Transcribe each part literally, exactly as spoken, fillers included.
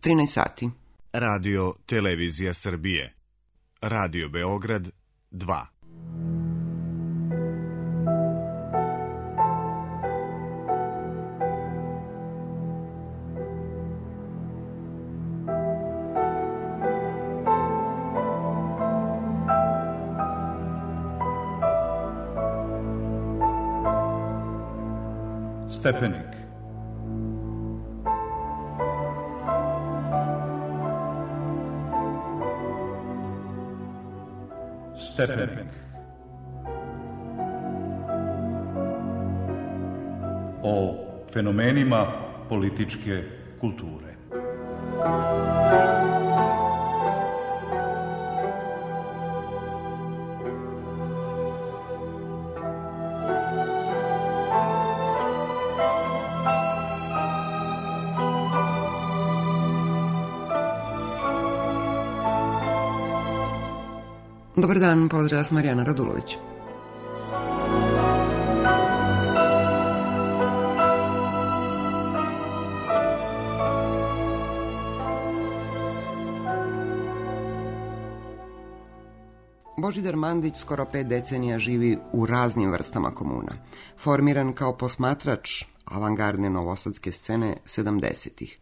trinaest sati. Radio Televizija Srbije. Radio Beograd dva. Stepenik. Stepenik. O fenomenima političke kulture. Dobar dan, pozdrav, sam Marijana Radulović. Božidar Mandić skoro pet decenija živi u raznim vrstama komuna. Formiran kao posmatrač avangardne novosadske scene sedamdesetih.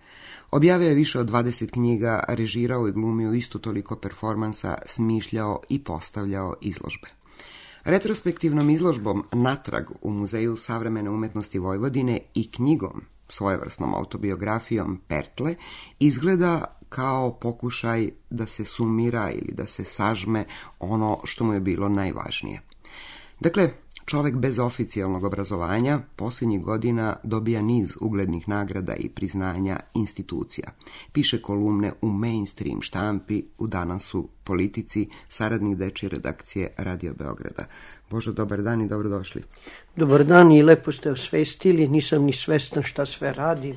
Objavio je više od dvadeset knjiga, režirao i glumio isto toliko performansa, smišljao i postavljao izložbe. Retrospektivnom izložbom Natrag u Muzeju savremene umetnosti Vojvodine i knjigom, svojevrsnom autobiografijom Pertle, izgleda kao pokušaj da se sumira ili da se sažme ono što mu je bilo najvažnije. Dakle, čovek bez oficijalnog obrazovanja posljednjih godina dobija niz uglednih nagrada i priznanja institucija. Piše kolumne u mainstream štampi, u Danasu, Politici, saradnik dečje redakcije Radio Beograda. Božo, dobar dan i dobrodošli. Dobar dan i lepo ste osvestili, nisam ni svesna šta sve radim.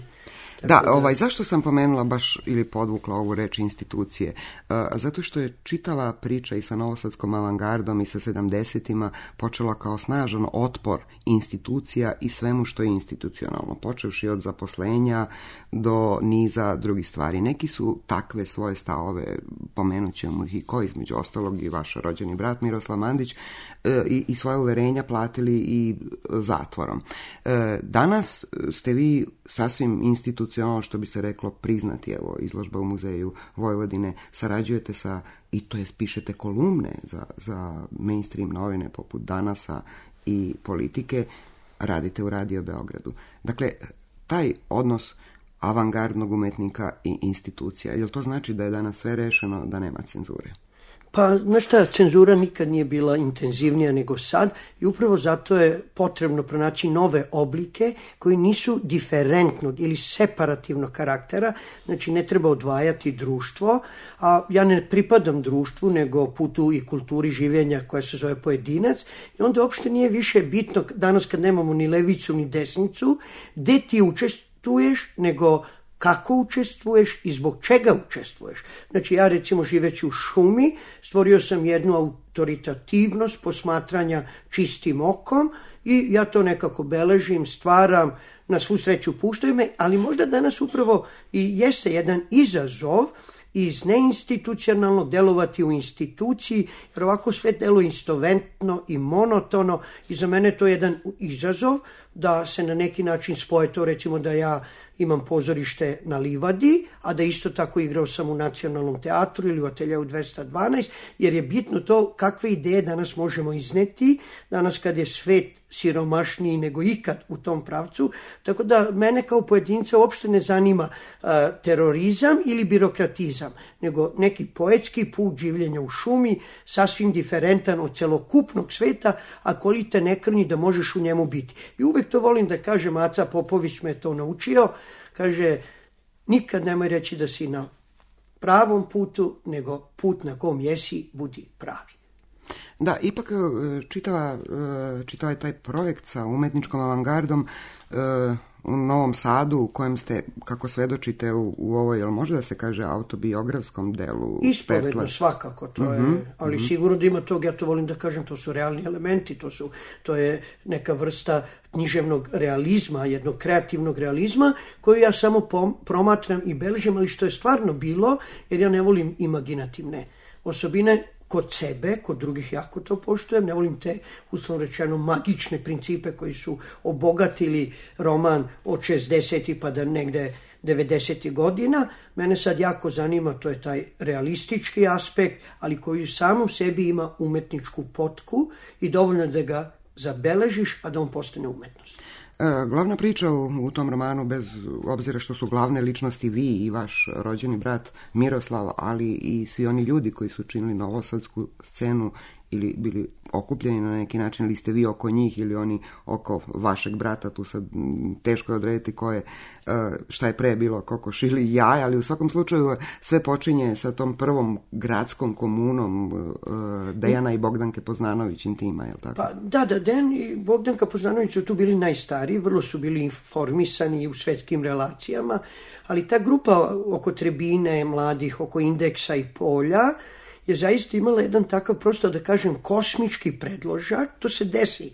Da, da, ovaj, zašto sam pomenula baš ili podvukla ovu reč institucije? Uh, zato što je čitava priča i sa novosadskom avangardom i sa sedamdesetima počela kao snažan otpor institucija i svemu što je institucionalno, počevši od zaposlenja do niza drugih stvari. Neki su takve svoje stavove, pomenut ćemo ih i ko, između ostalog i vaš rođeni brat Miroslav Mandić, uh, i, i svoje uverenja platili i zatvorom. Uh, danas ste vi sasvim institucionalno, ono što bi se reklo priznati, evo, izložba u Muzeju Vojvodine, sarađujete sa, i to je pišete kolumne za, za mainstream novine poput Danasa i Politike, radite u Radio Beogradu. Dakle, taj odnos avangardnog umetnika i institucija, jel to znači da je danas sve rešeno, da nema cenzure? Pa, znaš šta, cenzura nikad nije bila intenzivnija nego sad i upravo zato je potrebno pronaći nove oblike koji nisu diferentnog ili separativnog karaktera, znači ne treba odvajati društvo, a ja ne pripadam društvu nego putu i kulturi življenja koja se zove pojedinac i onda uopšte nije više bitno danas kad nemamo ni levicu ni desnicu, gde ti učestvuješ, nego kako učestvuješ i zbog čega učestvuješ. Znači ja recimo živeći u šumi stvorio sam jednu autoritativnost posmatranja čistim okom i ja to nekako beležim, stvaram, na svu sreću puštaju me, ali možda danas upravo i jeste jedan izazov iz neinstitucionalnog delovati u instituciji, jer ovako sve deluje istoventno i monotono i za mene to je jedan izazov da se na neki način spoje to, recimo da ja imam pozorište na Livadi, a da isto tako igrao sam u Nacionalnom teatru ili u Ateljeu dvesta dvanaest, jer je bitno to kakve ideje danas možemo izneti, danas kad je svet siromašniji nego ikad u tom pravcu, tako da mene kao pojedinca uopšte ne zanima uh, terorizam ili birokratizam, nego neki poetski put življenja u šumi, sasvim diferentan od celokupnog sveta, a koji te ne krnji da možeš u njemu biti. I uvek to volim da kažem, Aca Popović me to naučio, kaže, nikad nemoj reći da si na pravom putu, nego put na kom jesi, budi pravi. Da, ipak čitava, čitava je taj projekt sa umetničkom avangardom u Novom Sadu u kojem ste, kako svedočite u, u ovoj, jel može da se kaže, autobiografskom delu? Ispovedno, Pertla? svakako, to je, Mm-hmm, ali mm-hmm. sigurno da ima tog, ja to volim da kažem, to su realni elementi, to, su, to je neka vrsta književnog realizma, jednog kreativnog realizma, koju ja samo pom- promatram i beležim, ali što je stvarno bilo, jer ja ne volim imaginativne osobine, kod sebe, kod drugih jako to poštujem, ne volim te, uslovno rečeno, magične principe koji su obogatili roman od šezdesetih pa da negde devedesetih godina. Mene sad jako zanima, to je taj realistički aspekt, ali koji u samom sebi ima umetničku potku i dovoljno da ga zabeležiš, a da on postane umetnost. Glavna priča u, u tom romanu, bez obzira što su glavne ličnosti vi i vaš rođeni brat Miroslav, ali i svi oni ljudi koji su činili novosadsku scenu ili bili okupljeni na neki način, ili ste vi oko njih ili oni oko vašeg brata, tu sad teško je odrediti ko je, šta je pre bilo, kokoš ili jaj, ali u svakom slučaju sve počinje sa tom prvom gradskom komunom Dejana i Bogdanke Poznanović intima, je li tako? Pa, da, da, Dejan i Bogdanka Poznanović su tu bili najstariji, vrlo su bili informisani u svetskim relacijama, ali ta grupa oko Trebine, mladih, oko Indeksa i Polja, je zaista imala jedan takav, prosto da kažem, kosmički predložak. To se desi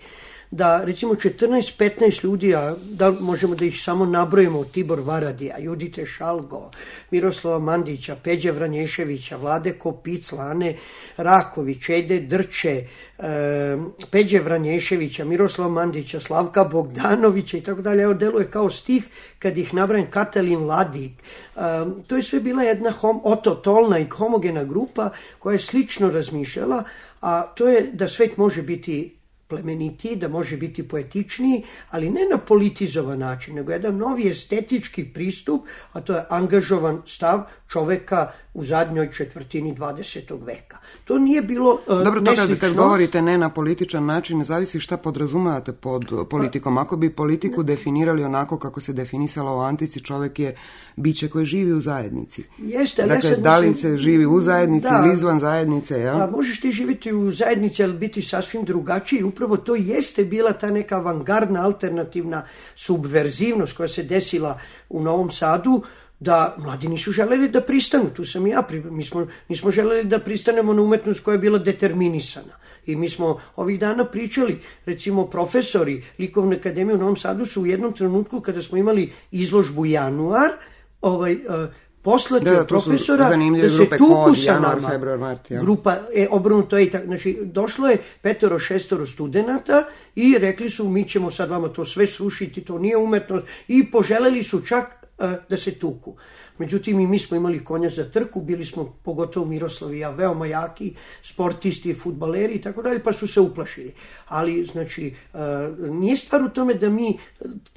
da recimo četrnaest petnaest ljudi, a da možemo da ih samo nabrojimo, Tibor Varadija, Judite Šalgo, Miroslava Mandića, Peđe Vranješevića, Vlade Kopic, Ane Raković, Ede Drče, e, Peđe Vranješevića, Miroslava Mandića, Slavka Bogdanovića i tako dalje. Evo, deluje kao stih kad ih nabrajam, Katalin Ladik. E, to je sve bila jedna hom, ototolna i homogena grupa koja je slično razmišljala, a to je da svet može biti plemenitiji, da može biti poetičniji, ali ne na politizovan način, nego jedan novi estetički pristup, a to je angažovan stav čoveka u zadnjoj četvrtini dvadesetog veka. To nije bilo uh, Dobro, to kad, kad govorite ne na političan način, ne zavisi šta podrazumevate pod politikom. Ako bi politiku definirali onako kako se definisala u antici, čovek je biće koje živi u zajednici. Jeste, ali dakle, ja sad da li mislim, se živi u zajednici da, ili izvan zajednice, ja? Da, možeš ti živjeti u zajednici, ali biti sasvim drugačiji. Upravo to jeste bila ta neka avangardna, alternativna subverzivnost koja se desila u Novom Sadu, da mladi nisu želeli da pristanu, tu sam i ja, mi smo, nismo želeli da pristanemo na umetnost koja je bila determinisana. I mi smo ovih dana pričali, recimo profesori Likovne akademije u Novom Sadu su u jednom trenutku kada smo imali izložbu Januar, ovaj, uh, poslati od profesora da se tuku sa nama. Februar, mart, ja. Grupa, e, obrnuto je, znači došlo je petoro, šestoro studenata i rekli su mi ćemo sad vama to sve srušiti, to nije umetnost, i poželeli su čak da se tuku. Međutim, i mi smo imali konja za trku, bili smo, pogotovo Miroslav i ja, veoma jaki sportisti, fudbaleri i tako dalje, pa su se uplašili. Ali, znači, nije stvar u tome da mi,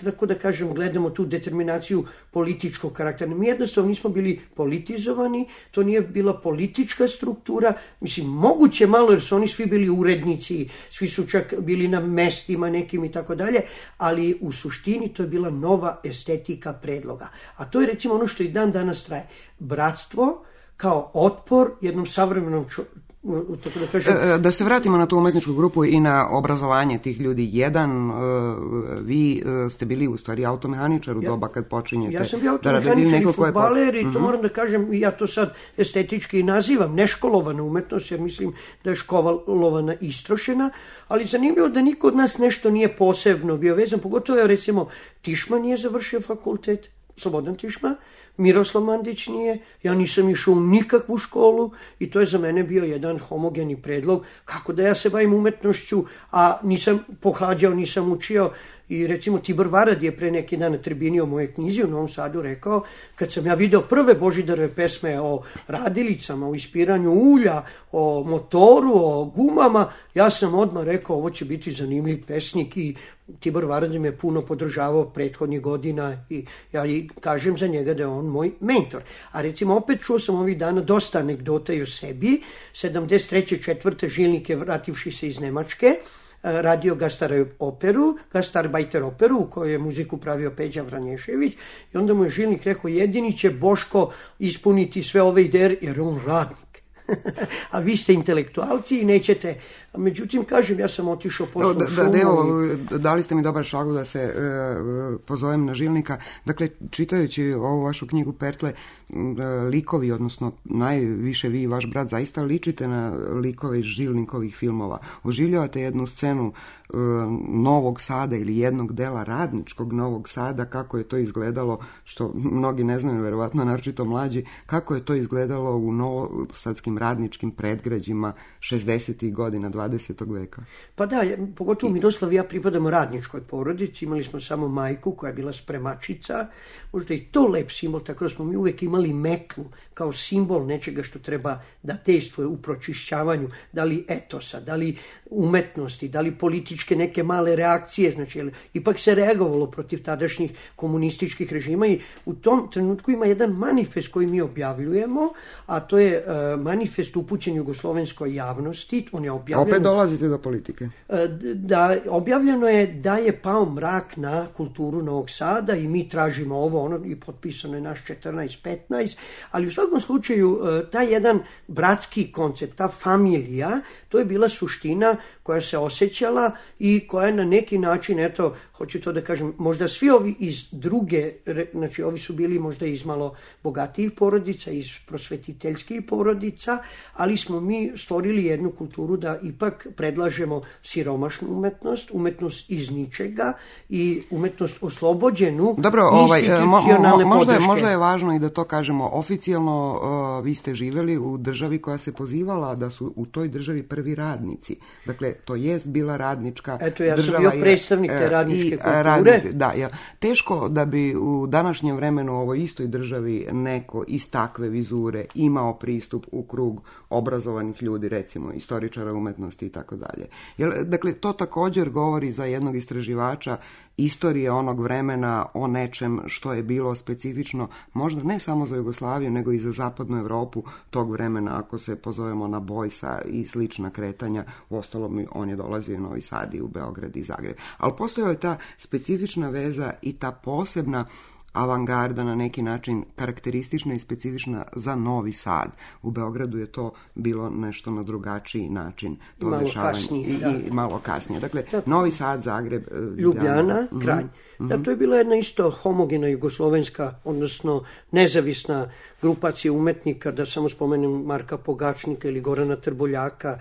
tako da kažem, gledamo tu determinaciju političkog karaktera. Mi jednostavno nismo bili politizovani, to nije bila politička struktura, mislim, moguće malo, jer su oni svi bili urednici, svi su čak bili na mestima nekim i tako dalje, ali u suštini to je bila nova estetika predloga. A to je, recimo, ono što i dan danas traje. Bratstvo kao otpor jednom savremenom čovjeku. Da, kažem... da se vratimo na tu umetničku grupu i na obrazovanje tih ljudi. Jedan, vi ste bili u stvari automehaničar u ja, doba kad počinjete. Ja sam bio automehaničar i fudbaler i to uh-huh. moram da kažem, ja to sad estetički nazivam neškolovana umetnost, jer mislim da je školovana istrošena, ali zanimljivo da niko od nas nešto nije posebno bio vezan, pogotovo recimo Tišma nije završio fakultet, Slobodan Tišma, Miroslav Mandić nije, ja nisam išao u nikakvu školu i to je za mene bio jedan homogeni predlog kako da ja se bavim umetnošću, a nisam pohađao, nisam učio. I recimo Tibor Varad je pre neki dan na tribini o moje knjizi u Novom Sadu rekao, kad sam ja video prve Božidarove pesme o radilicama, o ispiranju ulja, o motoru, o gumama, ja sam odmah rekao ovo će biti zanimljiv pesnik i Tibor Varad me puno podržavao prethodnih godina i ja i kažem za njega da je on moj mentor. A recimo opet čuo sam ovih dana dosta anegdota i o sebi. sedamdeset treće četvrte Žilnik je, vrativši se iz Nemačke, radio Gastar operu, Gastarbajter operu u kojoj je muziku pravio Peđa Vranješević i onda mu je Žilnik rekao jedini će Boško ispuniti sve ove ideje jer on radnik. A vi ste intelektualci i nećete Međutim, kažem, ja sam otišao posle da, u šumu. Da, evo, i... dali ste mi dobar šagu da se e, pozovem na Žilnika. Dakle, čitajući ovu vašu knjigu Pertle, likovi, odnosno najviše vi i vaš brat zaista ličite na likove iz Žilnikovih filmova. Oživljavate jednu scenu e, Novog Sada ili jednog dela radničkog Novog Sada, kako je to izgledalo, što mnogi ne znaju, verovatno naročito mlađi, kako je to izgledalo u novosadskim radničkim predgrađima šezdesetih godina dvadesetog veka. Pa da, pogotovo Miroslav i ja pripadamo radničkoj porodici, imali smo samo majku koja je bila spremačica, možda i to lep simbol, tako da smo mi uvek imali metlu kao simbol nečega što treba da dejstvuje u pročišćavanju, da li etosa, da li umetnosti, da li političke neke male reakcije, znači ipak se reagovalo protiv tadašnjih komunističkih režima i u tom trenutku ima jedan manifest koji mi objavljujemo, a to je uh, manifest upućen jugoslovenskoj javnosti. On je objavljen... Opet dolazite do politike. Uh, da, objavljeno je da je pao mrak na kulturu Novog Sada i mi tražimo ovo, ono, i potpisano je naš četrnaest petnaest, ali u svakom slučaju uh, taj jedan bratski koncept, ta familija, to je bila suština koja se osjećala i koja na neki način, eto, hoću to da kažem, možda svi ovi iz druge, znači ovi su bili možda iz malo bogatijih porodica, iz prosvetiteljskih porodica, ali smo mi stvorili jednu kulturu da ipak predlažemo siromašnu umetnost, umetnost iz ničega i umetnost oslobođenu Dobro, ovaj, institucionalne mo, mo, možda, podrške. Možda je važno i da to kažemo oficijalno, uh, vi ste živjeli u državi koja se pozivala da su u toj državi prvi radnici. Dakle, to jest bila radnička Eto, ja država. sam bio predstavnik te radničke i, kulture. Radničke, da, ja. Teško da bi u današnjem vremenu u ovoj istoj državi neko iz takve vizure imao pristup u krug obrazovanih ljudi, recimo istoričara umetnosti i tako dalje. Dakle, to također govori za jednog istraživača istorije onog vremena o nečem što je bilo specifično, možda ne samo za Jugoslaviju, nego i za zapadnu Evropu tog vremena, ako se pozovemo na Bojsa i slična kretanja. Uostalom, on je dolazio i u Novi Sad i u Beograd i Zagreb. Ali postojala je ta specifična veza i ta posebna avangarda na neki način karakteristična i specifična za Novi Sad. U Beogradu je to bilo nešto na drugačiji način. To malo dešavanje. kasnije. I, da. I malo kasnije. Dakle, Novi Sad, Zagreb, Ljubljana, mm-hmm. Kranj. Da, to je bila jedna isto homogena jugoslovenska, odnosno nezavisna grupacija umetnika, da samo spomenem Marka Pogačnika ili Gorana Trboljaka,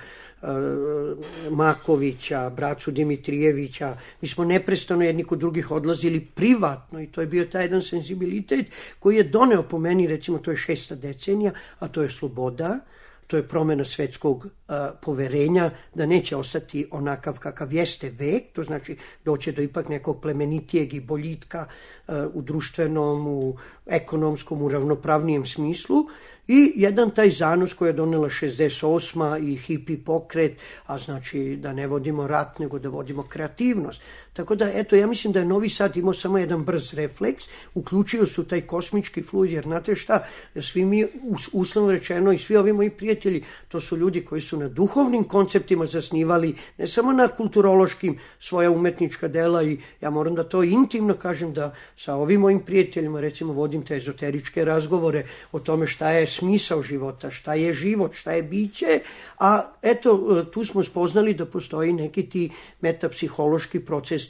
Makovića, bracu Dimitrijevića. Mi smo neprestano jedni kod drugih odlazili privatno i to je bio taj jedan senzibilitet koji je doneo po meni, recimo to je šesta decenija, a to je sloboda, to je promjena svetskog a, poverenja, da neće ostati onakav kakav jeste vek, to znači doće do ipak nekog plemenitijeg i boljitka a, u društvenom, u ekonomskom, u ravnopravnijem smislu. I jedan taj zanos koji je donela šezdeset osma i hipi pokret, a znači da ne vodimo rat, nego da vodimo kreativnost. Tako da, eto, ja mislim da je Novi Sad imao samo jedan brz refleks, uključio su taj kosmički fluid, jer znate šta, svi mi, uslovno rečeno, i svi ovi moji prijatelji, to su ljudi koji su na duhovnim konceptima zasnivali, ne samo na kulturološkim svoja umetnička dela, i ja moram da to intimno kažem da sa ovim mojim prijateljima, recimo, vodim te ezoteričke razgovore o tome šta je smisao života, šta je život, šta je biće, a eto, tu smo spoznali da postoji neki ti metapsihološki procesi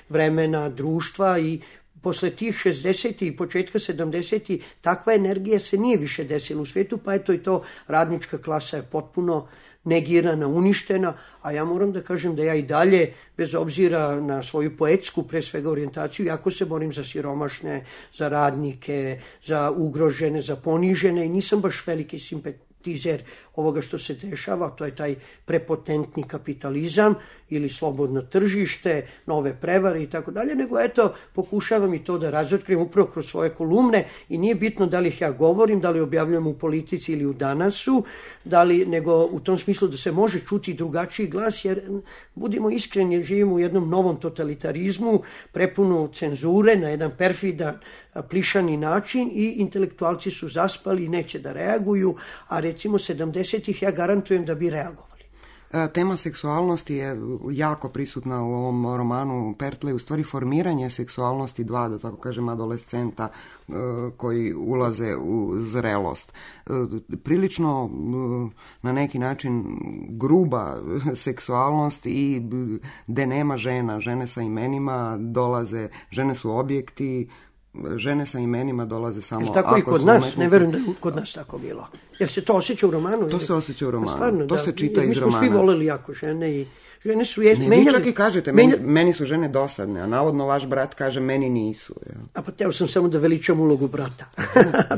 vremena, društva, i posle tih šezdesetih i početka sedamdesetih takva energija se nije više desila u svijetu, pa eto i to radnička klasa je potpuno negirana, uništena, a ja moram da kažem da ja i dalje, bez obzira na svoju poetsku, pre svega orijentaciju, jako se borim za siromašne, za radnike, za ugrožene, za ponižene, i nisam baš veliki simpatizer ovoga što se dešava, to je taj prepotentni kapitalizam ili slobodno tržište, nove prevare i tako dalje, nego eto, pokušavam i to da razotkrijem upravo kroz svoje kolumne, i nije bitno da li ih ja govorim, da li objavljujem u Politici ili u Danasu, da li, nego u tom smislu da se može čuti drugačiji glas, jer budimo iskreni, živimo u jednom novom totalitarizmu, prepunu cenzure, na jedan perfidan, plišani način, i intelektualci su zaspali i neće da reaguju, a recimo sedamdesetih ja garantujem da bi reagovali. Tema seksualnosti je jako prisutna u ovom romanu Pertle, u stvari formiranje seksualnosti dva, da tako kažem, adolescenta koji ulaze u zrelost. Prilično na neki način gruba seksualnost i gde nema žena, žene sa imenima dolaze, žene su objekti, žene sa imenima dolaze samo ako su tako i kod nas, umetnice. Ne verujem da je kod nas tako bilo. Jel se to osjeća u romanu? To se osjeća u romanu, stvarno, to da, se čita iz romana. Mi smo svi voleli jako žene i žene su je, ne, menjale... Vi čak i kažete, meni, menja... meni su žene dosadne, a navodno vaš brat kaže meni nisu. Ja. A pa teo sam samo da veličam ulogu brata.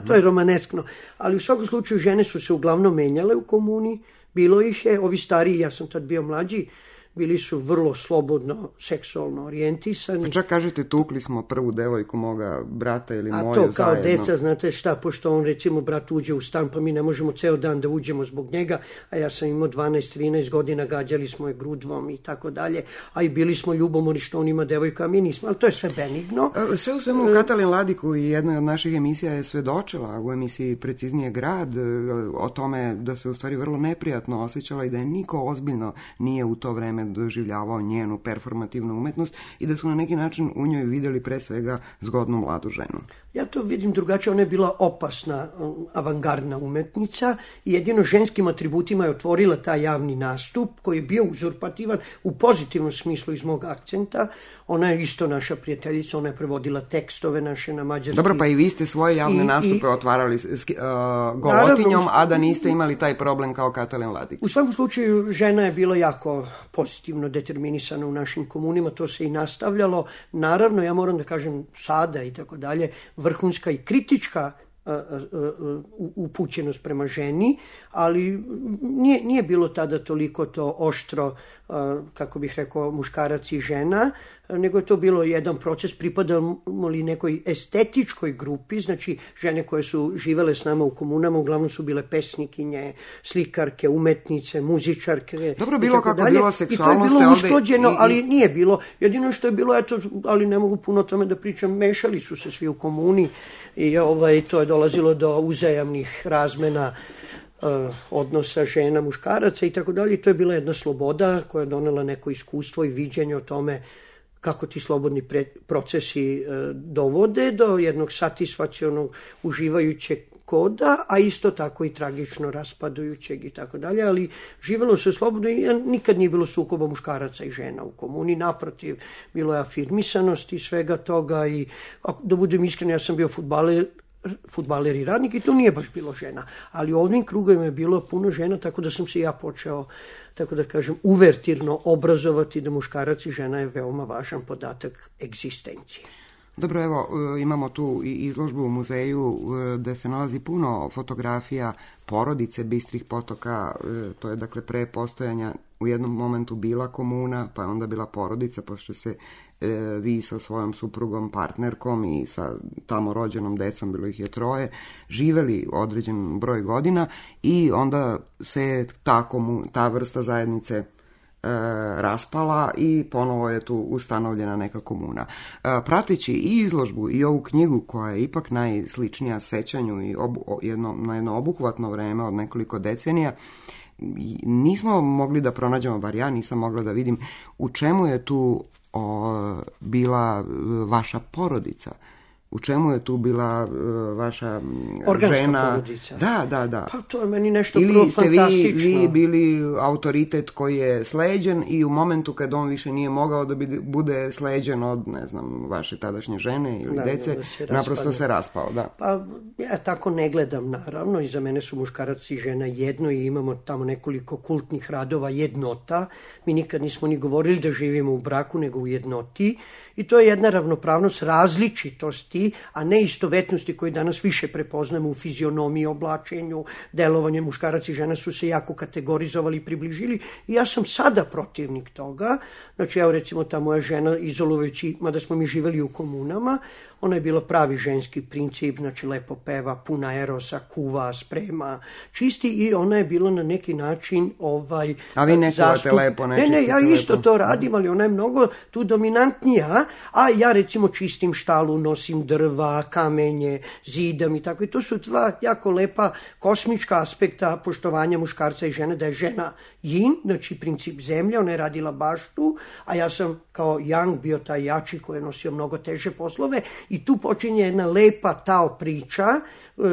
To je romaneskno. Ali u svakom slučaju žene su se uglavnom menjale u komuni, bilo ih je, ovi stariji, ja sam tad bio mlađi, bili su vrlo slobodno seksualno orijentisani. Pa čak kažete, tukli smo prvu devojku moga brata ili moju zajedno. A to kao zajedno. Deca, znate šta, pošto on recimo brat uđe u stan, pa mi ne možemo ceo dan da uđemo zbog njega, a ja sam imao dvanaest trinaest godina, gađali smo je grudvom i tako dalje, a i bili smo ljubomorni što on ima devojka, a mi nismo, ali to je sve benigno. Sve u svemu Katalin Ladik u jednoj od naših emisija je svedočila, u emisiji Preciznije grad, o tome da se u stvari vrlo neprijatno osjećala i da je niko ozbiljno nije u to vreme doživljavao njenu performativnu umetnost i da su na neki način u njoj vidjeli pre svega zgodnu mladu ženu. Ja to vidim drugačije, ona je bila opasna avangardna umetnica i jedino ženskim atributima je otvorila taj javni nastup koji je bio uzurpativan u pozitivnom smislu iz mog akcenta. Ona je isto naša prijateljica, ona je prevodila tekstove naše na mađarski. Dobro, pa i vi ste svoje javne I, nastupe i, otvarali uh, golotinjom, naravno, a da niste imali taj problem kao Katalin Ladik. U svakom slučaju žena je bila jako pozitivno determinisana u našim komunima, to se i nastavljalo. Naravno, ja moram da kažem sada i tako dalje, vrhunska i kritička upućenost prema ženi, ali nije, nije bilo tada toliko to oštro, kako bih rekao, muškarac i žena, nego je to bilo jedan proces, pripadamo li nekoj estetičkoj grupi, znači žene koje su živele s nama u komunama, uglavnom su bile pesnikinje, slikarke, umetnice, muzičarke. Dobro, bilo kako dalje. Bilo seksualnost. I to je bilo usklađeno, i, i... ali nije bilo. Jedino što je bilo, eto, ali ne mogu puno o tome da pričam, mešali su se svi u komuni i ovaj, to je dolazilo do uzajamnih razmena odnosa žena, muškaraca i tako dalje. To je bila jedna sloboda koja je donela neko iskustvo i viđenje o tome kako ti slobodni pre, procesi e, dovode do jednog satisfakcionog uživajućeg koda, a isto tako i tragično raspadajućeg i tako dalje, ali živelo se slobodno i nikad nije bilo sukoba muškaraca i žena u komuni, naprotiv, bilo je afirmisanost i svega toga i, da budem iskren, ja sam bio fudbaler, fudbaler i radnik i to nije baš bilo žena, ali u ovim krugovima je bilo puno žena, tako da sam se ja počeo, tako da kažem, uvertirno obrazovati da muškarac i žena je veoma važan podatak egzistencije. Dobro, evo, imamo tu i izložbu u muzeju gde se nalazi puno fotografija porodice Bistrih potoka, to je dakle pre postojanja u jednom momentu bila komuna, pa je onda bila porodica, pošto se e, vi sa svojom suprugom, partnerkom i sa tamo rođenom decom, bilo ih je troje, živeli određen broj godina i onda se ta, komu, ta vrsta zajednice e, raspala i ponovo je tu ustanovljena neka komuna. E, prateći i izložbu i ovu knjigu koja je ipak najsličnija sećanju i obu, jedno, na jedno obuhvatno vreme od nekoliko decenija, nismo mogli da pronađemo, bar ja nisam mogla da vidim u čemu je tu o, bila vaša porodica. U čemu je tu bila uh, vaša organska žena? Porodica. Da, da, da. Pa to je meni nešto ili prvo ste fantastično. Vi, vi bili autoritet koji je sleđen i u momentu kad on više nije mogao da bi, bude sleđen od, ne znam, vaše tadašnje žene ili da, dece, da se naprosto se raspao, da. Pa ja tako ne gledam, naravno, i za mene su muškarac i žena jedno i imamo tamo nekoliko kultnih radova jednota. Mi nikad nismo ni govorili da živimo u braku, nego u jednoti. I to je jedna ravnopravnost različitosti, a ne istovetnosti koje danas više prepoznamo u fizionomiji, oblačenju, delovanju. Muškarac i žena su se jako kategorizovali i približili. I ja sam sada protivnik toga. Znači, evo recimo ta moja žena, izolujući, mada smo mi živeli u komunama, ona je bila pravi ženski princip, znači lepo peva, puna erosa, kuva, sprema, čisti i ona je bila na neki način ovaj a vi ne kuvate lepo, ne čistite Ne, ne, ja isto lepo. To radim, ali ona je mnogo tu dominantnija, a ja recimo čistim štalu, nosim drva, kamenje, zidam i tako. I to su dva jako lepa kosmička aspekta poštovanja muškarca i žene, da je žena yin, znači princip zemlje, ona je radila baštu, a ja sam kao yang bio taj jači koji je nosio mnogo teže poslove i tu počinje jedna lepa tao priča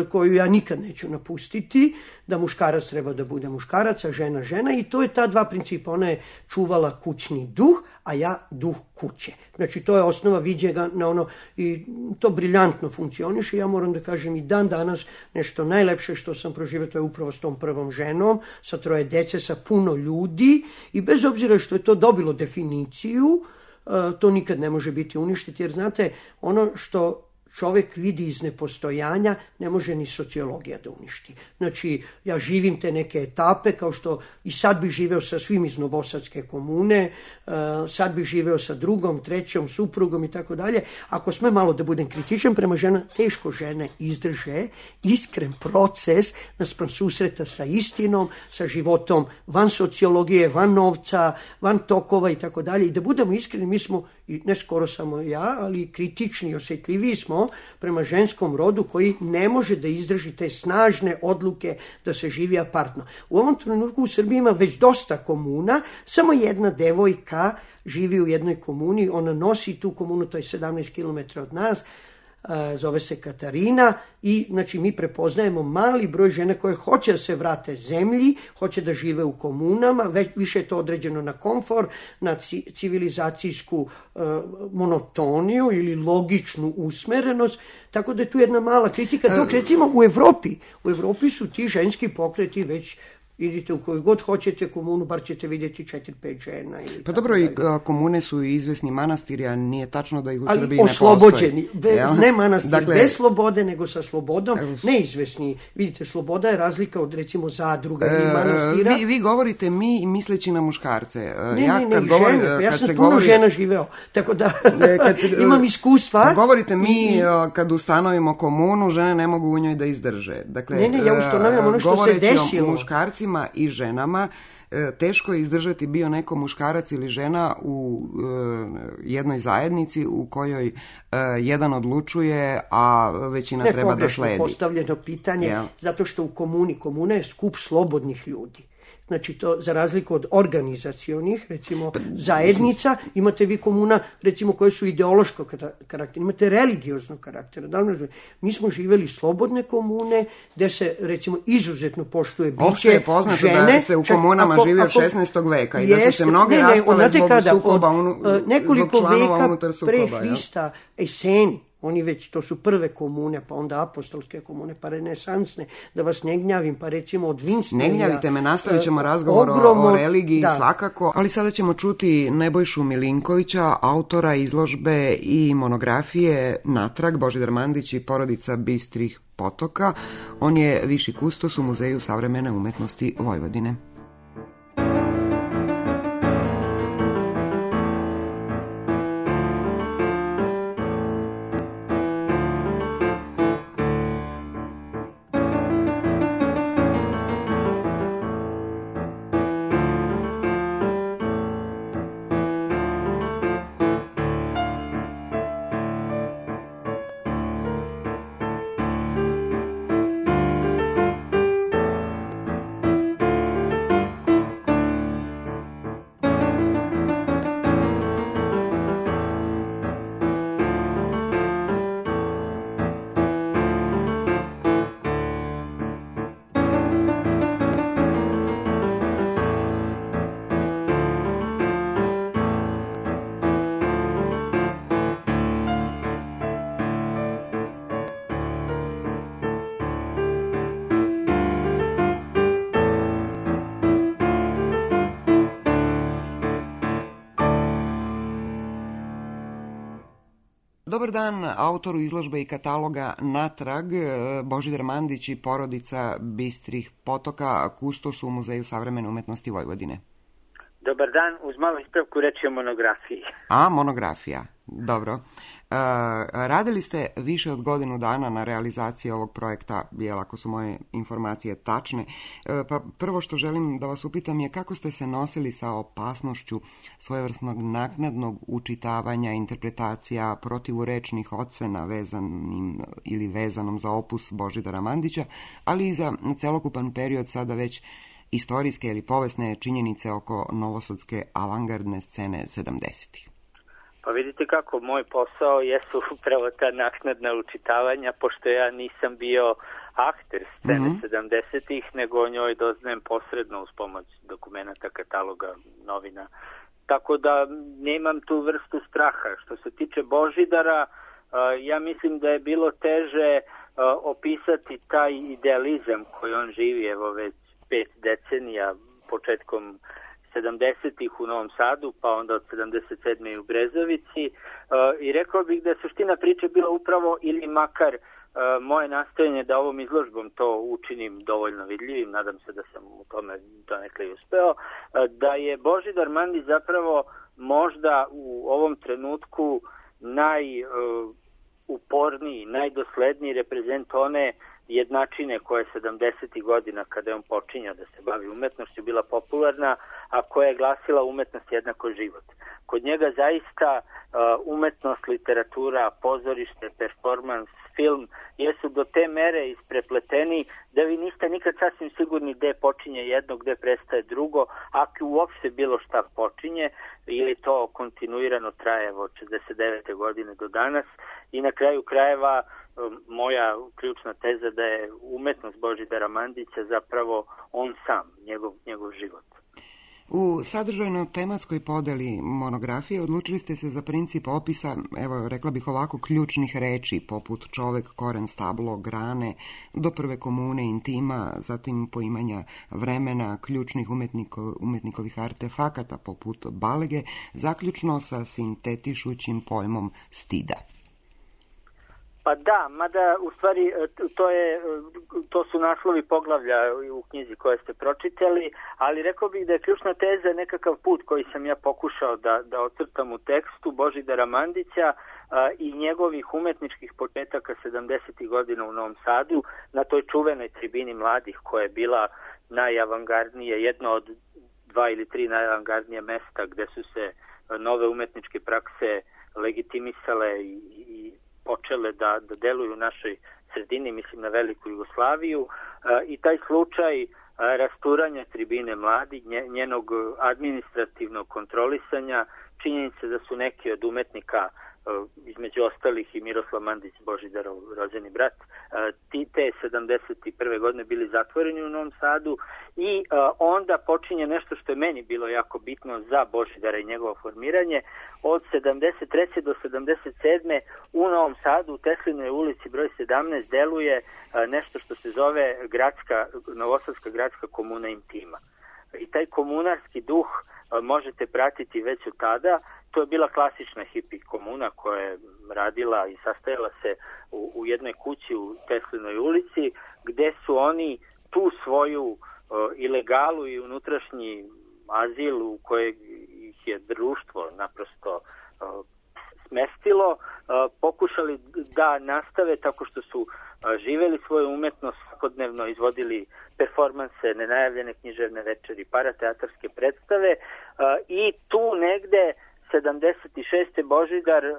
koju ja nikad neću napustiti, da muškarac treba da bude muškarac, a žena žena i to je ta dva principa. Ona je čuvala kućni duh, a ja duh kuće. Znači to je osnova viđega na ono i to briljantno funkcioniše. Ja moram da kažem i dan danas nešto najlepše što sam proživio, to je upravo s tom prvom ženom, sa troje dece, sa puno ljudi i bez obzira što je to dobilo definiciju, to nikad ne može biti uništiti, jer znate, ono što čovjek vidi iz nepostojanja, ne može ni sociologija da uništi. Znači, ja živim te neke etape, kao što i sad bih živeo sa svim iz Novosadske komune, sad bih živeo sa drugom, trećom, suprugom i tako dalje. Ako sme malo da budem kritičan prema žena, teško žene izdrže iskren proces naspram susreta sa istinom, sa životom van sociologije, van novca, van tokova i tako dalje. I da budemo iskreni, mi smo, i ne skoro samo ja, ali kritični i osjetljiviji smo prema ženskom rodu koji ne može da izdrži te snažne odluke da se živi apartno. U ovom trenutku u Srbiji ima već dosta komuna, samo jedna devojka živi u jednoj komuni, ona nosi tu komunu, to je sedamnaest kilometara od nas, zove se Katarina i znači mi prepoznajemo mali broj žena koje hoće da se vrate zemlji, hoće da žive u komunama, već više je to određeno na komfor, na civilizacijsku uh, monotoniju ili logičnu usmerenost, tako da je tu jedna mala kritika. Dok recimo u Evropi, u Evropi su ti ženski pokreti već, idite u koju god hoćete komunu, bar ćete vidjeti četiri, pet žena. Ili pa dobro, i komune su izvesni manastiri, a nije tačno da ih u ali Srbiji ne postoji. Oslobođeni, ne manastir, dakle, bez slobode, nego sa slobodom, neizvesni. Vidite, sloboda je razlika od recimo zadruga ili manastira. Vi, vi govorite mi misleći na muškarce. Ne, ja, ne, ne, kad govori, žene, ja sam puno govori, žena živeo, tako da kad, imam iskustva. Govorite mi, i, kad ustanovimo komunu, žene ne mogu u njoj da izdrže. Dakle, ne, ne, ja ustanovim ono što se desilo. Muškarci i ženama, teško je izdržati bio neko muškarac ili žena u jednoj zajednici u kojoj jedan odlučuje, a većina ne, treba da sledi. Postavljeno pitanje, yeah. Zato što u komuni, komuna je skup slobodnih ljudi. Znači to za razliku od organizacionih, recimo zajednica, imate vi komuna, recimo koje su ideološkog karaktera, imate religioznog karaktera. Da li mi smo živjeli slobodne komune, gde se recimo izuzetno poštuje biće žene. Opšte je poznato žene, da se u komunama čak, ako, živi od šesnaestog veka i da su se mnoge raspale zbog kada, sukoba, unu, od, nekoliko zbog članova unutar veka pre Hrista, Eseni. Oni već, to su prve komune, pa onda apostolske komune, pa renesansne, da vas ne gnjavim, pa recimo od Winstonja. Ne gnjavite me, nastavit ćemo razgovor ogromo, o, o religiji da. Svakako, ali sada ćemo čuti Nebojšu Milinkovića, autora izložbe i monografije Natrag, Božidar Mandić i porodica Bistrih potoka. On je viši kustos u Muzeju savremene umetnosti Vojvodine. Dobar dan autoru izložbe i kataloga Natrag, Božidar Mandić i porodica Bistrih potoka, kustos u Muzeju savremene umetnosti Vojvodine. Dobar dan, uz malu ispravku reći o monografiji. A, monografija, dobro. E, radili ste više od godinu dana na realizaciji ovog projekta, jel, ako su moje informacije tačne. E, pa prvo što želim da vas upitam je kako ste se nosili sa opasnošću svojevrsnog naknadnog učitavanja, interpretacija, protivurečnih ocena vezanim ili vezanom za opus Božidara Mandića, ali i za celokupan period sada već istorijske ili povesne činjenice oko novosadske avangardne scene sedamdesetih? Pa vidite kako, moj posao jesu upravo ta naknadna učitavanja, pošto ja nisam bio akter scene mm-hmm. sedamdesetih, nego o njoj doznajem posredno uz pomoć dokumenta, kataloga, novina. Tako da nemam tu vrstu straha. Što se tiče Božidara, ja mislim da je bilo teže opisati taj idealizam koji on živi, evo već pet decenija, početkom sedamdesetih u Novom Sadu, pa onda od sedamdeset sedme u Brezovici. I rekao bih da je suština priče bila upravo ili makar moje nastojanje da ovom izložbom to učinim dovoljno vidljivim, nadam se da sam u tome donekle uspeo, da je Božidar Mandić zapravo možda u ovom trenutku najuporniji, najdosledniji reprezent one jednačine koja je sedamdesetih godina, kada je on počinjao da se bavi umetnošću, bila popularna, a koja je glasila umetnost jednako život. Kod njega zaista umetnost, literatura, pozorište, performans, film jesu do te mere isprepleteni da vi niste nikad sasvim sigurni gde počinje jedno, gde prestaje drugo, ako uopšte bilo šta počinje, ili to kontinuirano traje od šezdeset devete godine do danas. I na kraju krajeva moja ključna teza da je umetnost Božidara Mandića zapravo on sam, njegov, njegov život. U sadržajno-tematskoj podeli monografije odlučili ste se za princip opisa, evo rekla bih ovako, ključnih reči, poput čovek, koren, stablo, grane, do prve komune, intima, zatim poimanja vremena, ključnih umetniko, umetnikovih artefakata, poput balege, zaključno sa sintetišućim pojmom stida. Pa da, mada u stvari to, je, to su naslovi poglavlja u knjizi koje ste pročitali, ali rekao bih da je ključna teza nekakav put koji sam ja pokušao da, da ocrtam u tekstu Božidara Mandića a, i njegovih umetničkih početaka sedamdesetih godina u Novom Sadu, na toj čuvenoj tribini mladih koja je bila najavangardnije, jedno od dva ili tri najavangardnije mesta gde su se nove umetničke prakse legitimisale i, i počele da, da deluju u našoj sredini, mislim na veliku Jugoslaviju, i taj slučaj rasturanja tribine mladi, njenog administrativnog kontrolisanja, činjenice da su neki od umetnika, između ostalih i Miroslav Mandić, Božidarov rođeni brat, ti te sedamdeset prve godine bili zatvoreni u Novom Sadu i onda počinje nešto što je meni bilo jako bitno za Božidara i njegovo formiranje. Od sedamdeset treće do sedamdeset sedme u Novom Sadu, u Teslinoj ulici broj sedamnaest, deluje nešto što se zove gradska, Novosadska gradska komuna intima. I taj komunarski duh možete pratiti već od tada. To je bila klasična hipi komuna koja je radila i sastajala se u, u jednoj kući u Teslinoj ulici, gde su oni tu svoju uh, ilegalu i unutrašnji azil u kojeg ih je društvo naprosto uh, smestilo, uh, pokušali da nastave tako što su uh, živeli svoju umetnost, svakodnevno izvodili performanse, nenajavljene književne večeri, parateatarske predstave uh, i tu negde sedamdeset šeste Božidar uh,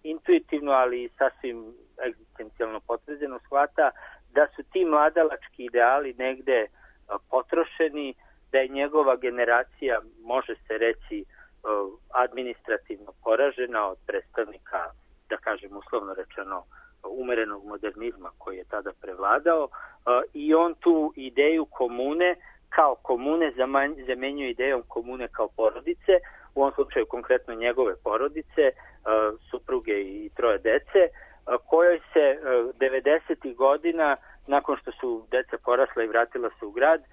intuitivno, ali sasvim egzistencijalno potvrđeno shvata da su ti mladalački ideali negde uh, potrošeni, da je njegova generacija, može se reći, uh, administrativno poražena od predstavnika, da kažem uslovno rečeno, umerenog modernizma koji je tada prevladao, uh, i on tu ideju komune kao komune zamenjuje idejom komune kao porodice, u ovom slučaju konkretno njegove porodice, supruge i troje dece, kojoj se devedesetih godina, nakon što su deca porasla i vratila se u grad,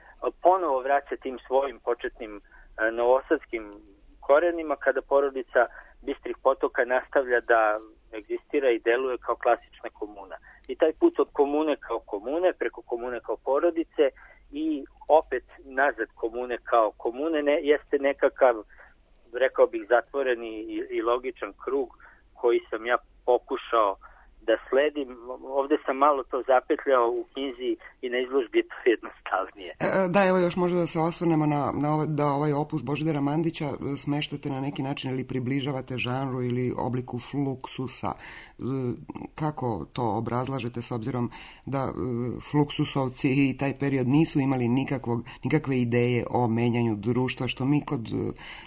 ponovo vraća tim svojim početnim novosadskim korenima, kada porodica Bistrih Potoka nastavlja da egzistira i deluje kao klasična komuna. I taj put od komune kao komune, preko komune kao porodice i opet nazad komune kao komune, ne, jeste nekakav, rekao bih, zatvoreni i, i logičan krug koji sam ja pokušao da sledim. Ovde sam malo to zapetljao u knjizi i na izložbi je to jednostavnije. Da, evo još možda da se osvrnemo na, na ovaj, da ovaj opus Božidara Mandića smeštate na neki način ili približavate žanru ili obliku fluksusa. kako to obrazlažete s obzirom da Fluksusovci i taj period nisu imali nikakvog, nikakve ideje o menjanju društva, što mi kod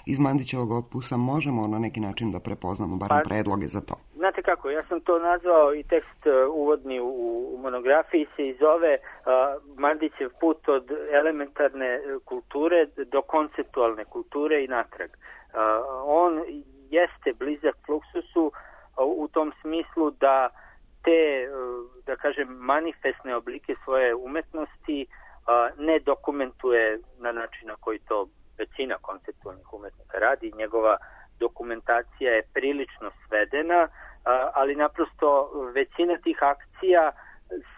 iz Mandićevog opusa možemo na neki način da prepoznamo, barem pa, predloge za to. Znate kako, ja sam to nazvao i tekst uvodni u, u monografiji se i zove uh, Mandićev put od elementarne kulture do konceptualne kulture i natrag. Uh, on jeste blizak Fluksusu uh, u tom smislu da te, uh, da kažem, manifestne oblike svoje umetnosti uh, ne dokumentuje na način na koji to većina konceptualnih umetnika radi. Njegova dokumentacija je prilično svedena, ali naprosto većina tih akcija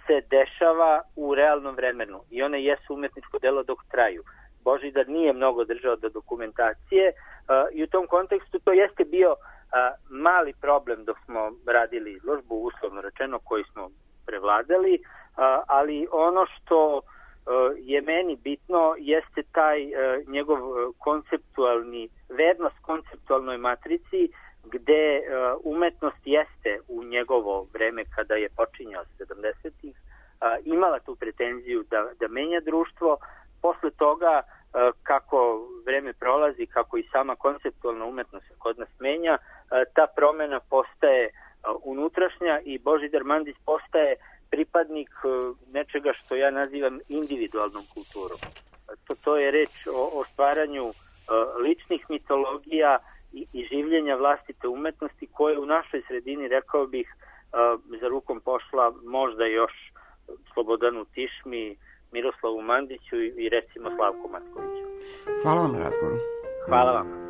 se dešava u realnom vremenu i one jesu umetničko delo dok traju. Božidar nije mnogo držao do dokumentacije i u tom kontekstu to jeste bio mali problem dok smo radili izložbu, uslovno rečeno, koji smo prevladali, ali ono što je meni bitno jeste taj njegov konceptualni, vernost konceptualnoj matrici, gde umetnost jeste u njegovo vreme kada je počinjao sedamdesetih imala tu pretenziju da, da menja društvo. Posle toga, kako vreme prolazi, kako i sama konceptualna umetnost se kod nas menja, ta promena postaje unutrašnja i Božidar Mandić postaje pripadnik nečega što ja nazivam individualnom kulturom. To, to je reč o, o stvaranju ličnih mitologija i, i življenja vlastite umetnosti koje u našoj sredini, rekao bih, za rukom pošla možda još Slobodanu Tišmi, Miroslavu Mandiću i, i recimo Slavku Matkoviću. Hvala vam na razgovoru. Hvala vam.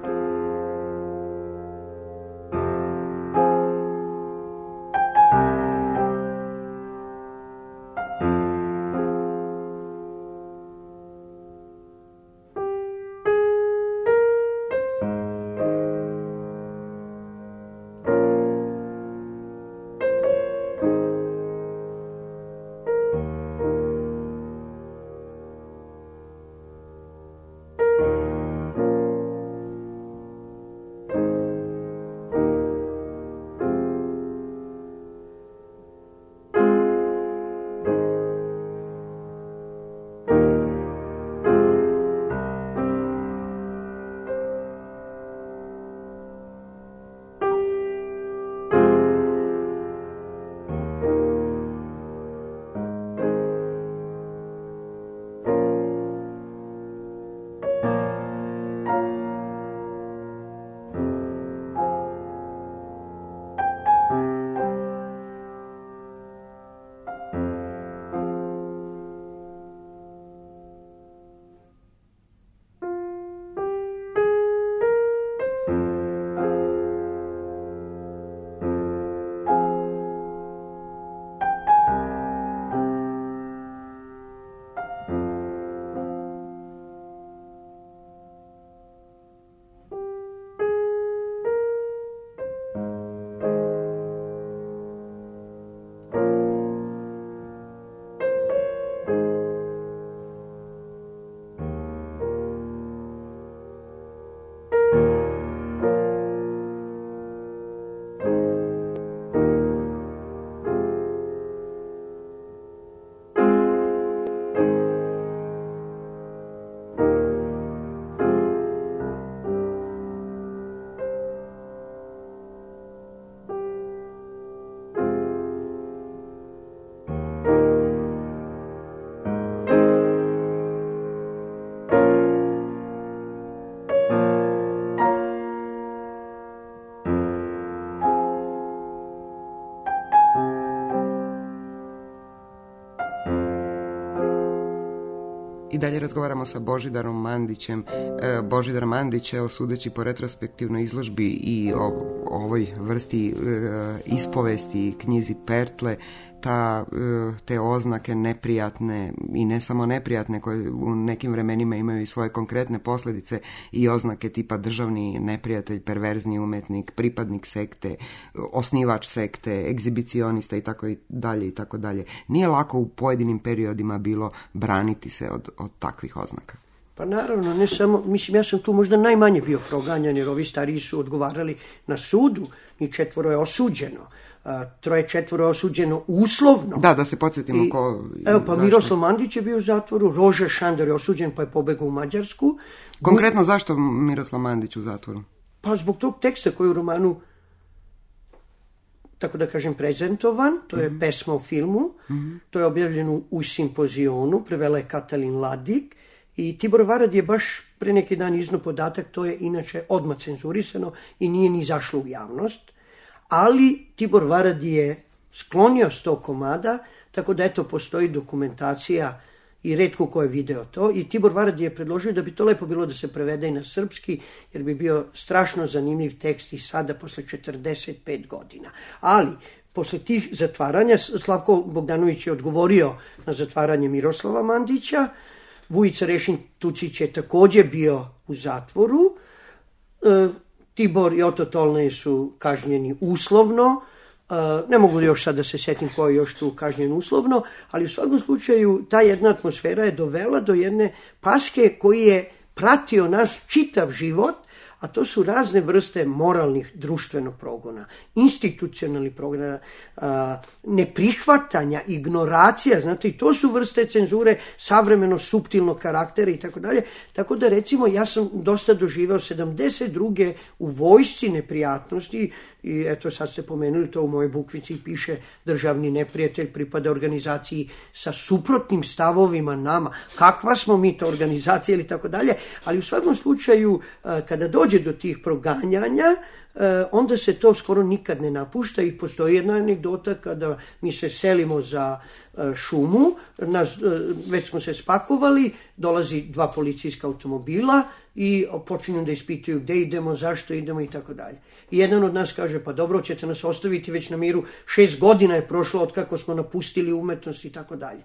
I dalje razgovaramo sa Božidarom Mandićem. E, Božidar Mandić, evo, sudeći po retrospektivnoj izložbi i o, o ovoj vrsti e, ispovesti, knjizi Pertle, ta, e, te oznake neprijatne i ne samo neprijatne, koje u nekim vremenima imaju i svoje konkretne posljedice, i oznake tipa državni neprijatelj, perverzni umetnik, pripadnik sekte, osnivač sekte, egzibicionista i tako i dalje i tako dalje. Nije lako u pojedinim periodima bilo braniti se od, od takvih oznaka. Pa naravno, ne samo, mislim, ja sam tu možda najmanje bio proganjan, jer ovi stariji su odgovarali na sudu, ni četvoro je osuđeno. a, troje četvoro osuđeno uslovno. Da, da se podsjetimo I, ko... Evo pa zašto? Miroslav Mandić je bio u zatvoru, Roža Šandor je osuđen pa je pobegao u Mađarsku. Konkretno zašto Miroslav Mandić u zatvoru? Pa zbog tog teksta koji je u romanu, tako da kažem, prezentovan, to je mm-hmm. pesma o filmu, mm-hmm. to je objavljeno u Simpozionu, prevela je Katalin Ladik i Tibor Varad je baš pre neki dan iznao podatak, to je inače odmah cenzurisano i nije ni zašlo u javnost, ali Tibor Varad je sklonio sto komada, tako da eto postoji dokumentacija i retko ko je video to i Tibor Varad je predložio da bi to lepo bilo da se prevede i na srpski, jer bi bio strašno zanimljiv tekst i sada posle četrdeset pet godina. Ali, posle tih zatvaranja, Slavko Bogdanović je odgovorio na zatvaranje Miroslava Mandića, Vujica Rešin Tucić je takođe bio u zatvoru, e, Tibor i Oto Tolnej su kažnjeni uslovno, Uh, ne mogu još sad da se setim ko je još tu kažnjen uslovno, ali u svakom slučaju ta jedna atmosfera je dovela do jedne paske koji je pratio naš čitav život, a to su razne vrste moralnih društvenog progona, institucionalnih progona, uh, neprihvatanja, ignoracija, znate, i to su vrste cenzure savremeno suptilnog karaktera i tako dalje. Tako da recimo ja sam dosta doživao sedamdeset druge u vojsci neprijatnosti. I eto sad ste pomenuli, to u mojoj bukvici piše državni neprijatelj pripada organizaciji sa suprotnim stavovima nama. Kakva smo mi to organizacija ili tako dalje. Ali u svakom slučaju kada dođe do tih proganjanja, onda se to skoro nikad ne napušta i postoji jedna anegdota kada mi se selimo za šumu, nas, već smo se spakovali, dolazi dva policijska automobila i počinju da ispituju gde idemo, zašto idemo i tako dalje. I jedan od nas kaže, pa dobro, ćete nas ostaviti već na miru, šest godina je prošlo od kako smo napustili umetnost i tako dalje.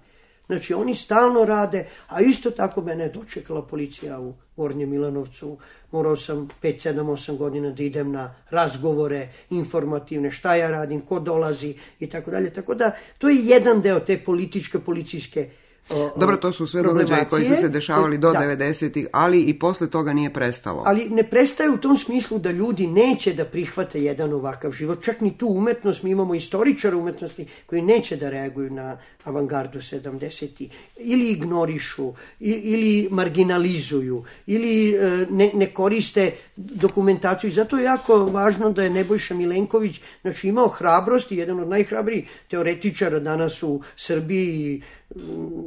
Znači, oni stalno rade, a isto tako mene je dočekala policija u Gornjem Milanovcu. Morao sam pet, sedam, osam godina da idem na razgovore informativne, šta ja radim, ko dolazi i tako dalje. Tako da, to je jedan deo te političke, policijske O, Dobro, to su sve događaje koji su se dešavali do da. devedesetih, ali i posle toga nije prestalo. Ali ne prestaje u tom smislu da ljudi neće da prihvate jedan ovakav život. Čak ni tu umetnost, mi imamo istoričara umetnosti koji neće da reaguju na avangardu sedamdesetih. Ili ignorišu, ili marginalizuju, ili ne, ne koriste dokumentaciju. I zato je jako važno da je Nebojša Milenković znači, imao hrabrost i jedan od najhrabrijih teoretičara danas u Srbiji